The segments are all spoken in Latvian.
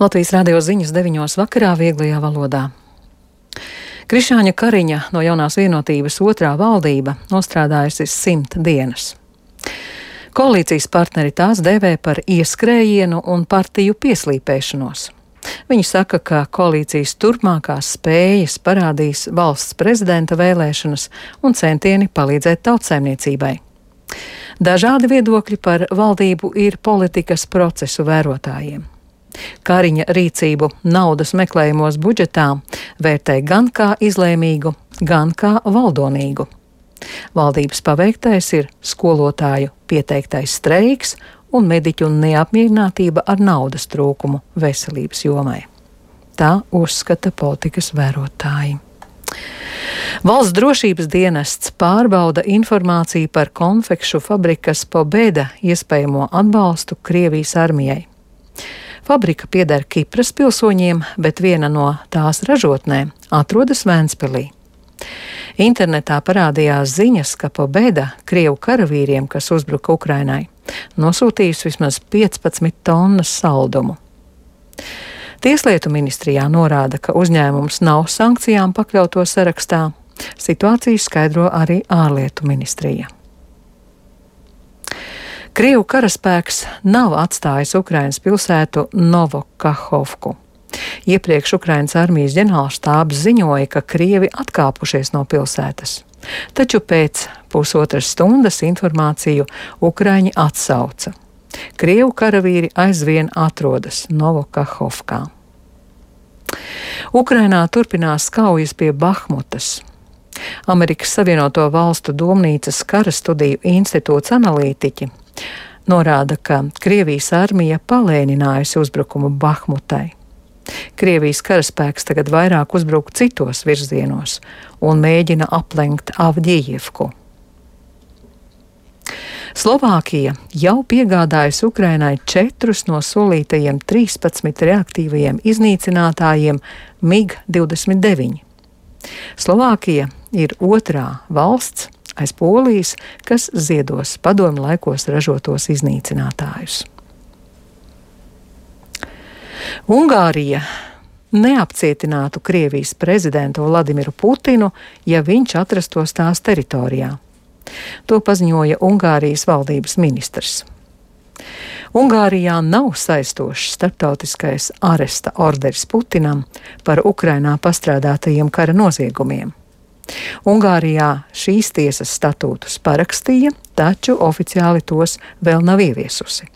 Latvijas radio ziņas 9 vakarā vieglajā valodā. Krišāņa Kariņa no Jaunās vienotības otrā valdība nostrādājusi 100 dienas. Koalīcijas partneri tās dēvē par ieskrējienu un partiju pieslīpēšanos. Viņi saka, ka koalīcijas turpmākās spējas parādīs valsts prezidenta vēlēšanas un centieni palīdzēt tautsaimniecībai. Dažādi viedokļi par valdību ir politikas procesu vērotājiem. Kariņa rīcību naudas meklējumos budžetā vērtē gan kā izlēmīgu, gan kā valdonīgu. Valdības paveiktais ir skolotāju pieteiktais streiks un mediķu neapmierinātība ar naudas trūkumu veselības jomai. Tā uzskata politikas vērotāji. Valsts drošības dienests pārbauda informāciju par konfekšu fabrikas Pobeda iespējamo atbalstu Krievijas armijai. Fabrika pieder Kipras pilsoņiem, bet viena no tās ražotnēm atrodas Ventspilī. Internetā parādījās ziņas, ka Pobeda Krievu karavīriem, kas uzbruka Ukrainai, nosūtījis vismaz 15 tonnas saldumu. Tieslietu ministrijā norāda, ka uzņēmums nav sankcijām pakļauto sarakstā. Situāciju skaidro arī ārlietu ministrija. Krievu karaspēks nav atstājis Ukrainas pilsētu Novokahovku. Iepriekš Ukrainas armijas ģenerālštābs ziņoja, ka Krievi atkāpušies no pilsētas. Taču pēc pusotras stundas informāciju Ukraiņi atsauca. Krievu karavīri aizvien atrodas Novokahovkā. Ukrainā turpinās kaujas pie Bahmutas. Amerikas Savienoto Valstu Domnīcas kara studiju institūts analītiķi norāda, ka Krievijas armija palēninājusi uzbrukumu Bahmutai. Krievijas karaspēks tagad vairāk uzbruk citos virzienos un mēģina aplenkt Avdijivku. Slovākija jau piegādājusi Ukrainai 4 no solītajiem 13 reaktīvajiem iznīcinātājiem MiG-29. Slovākija ir otrā valsts aiz Polijas, kas ziedos padomju laikos ražotos iznīcinātājus. Ungārija neapcietinātu Krievijas prezidentu Vladimiru Putinu, ja viņš atrastos tās teritorijā. To paziņoja Ungārijas valdības ministrs. Ungārijā nav saistošs starptautiskais aresta orderis Putinam par Ukrainā pastrādātajiem kara noziegumiem. Ungārijā šīs tiesas statūtus parakstīja, taču oficiāli tos vēl nav ieviesusi.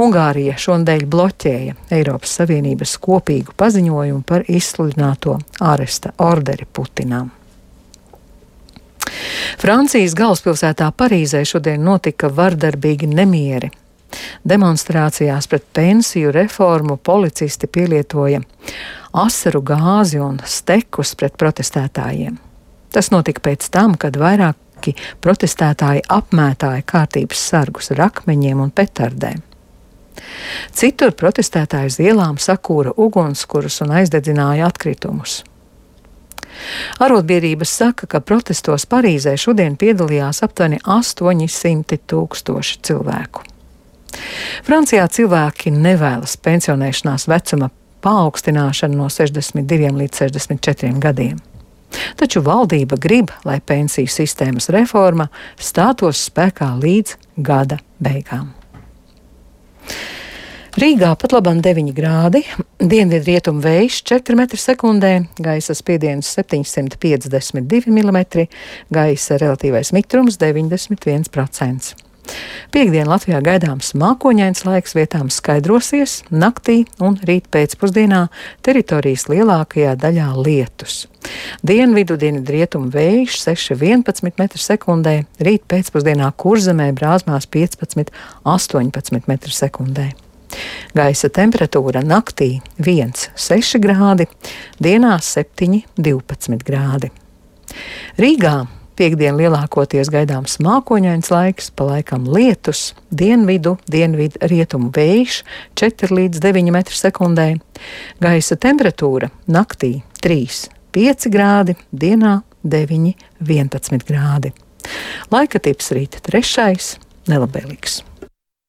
Ungārija šonadēļ bloķēja Eiropas Savienības kopīgu paziņojumu par izsludināto aresta orderi Putinam. Francijas galvaspilsētā Parīzē šodien notika vardarbīgi nemieri. Demonstrācijās pret pensiju reformu policisti pielietoja asaru gāzi un stekus pret protestētājiem. Tas notika pēc tam, kad vairāki protestētāji apmētāja kārtības sargus ar akmeņiem un petardēm. Citur protestētāji uz ielām sakūra ugunskurus un aizdedzināja atkritumus. Arotbiedrības saka, ka protestos Parīzē šodien piedalījās aptuveni 800 000 cilvēku. Francijā cilvēki nevēlas pensionēšanās vecuma paaugstināšanu no 62 līdz 64 gadiem. Taču valdība grib, lai pensiju sistēmas reforma stātos spēkā līdz gada beigām. Rīgā pat labam 9 grādi, dienvidrietumu vējš 4 m/sekundē, gaisa spiediens 752 mm, gaisa relatīvais mitrums 91%. Piektdien Latvijā gaidāms mākoņains laiks, vietām skaidrosies, naktī un rīt pēcpusdienā teritorijas lielākajā daļā lietus. Dienvidu dienvidrietumu vējš 6–11 m/sekundē, rīt pēcpusdienā Kurzemē brāzmās 15–18 m/sekundē. Gaisa temperatūra naktī 1–6 grādi, dienā 7–12 grādi. Rīgā piektdien lielākoties gaidāms mākoņains laiks, pa laikam lietus, dienvidrietumu vējš 4–9 m/sekundē. Gaisa temperatūra naktī 3–5 grādi, dienā 9–11 grādi. Laika tips rīt 3. nelabvēlīgs.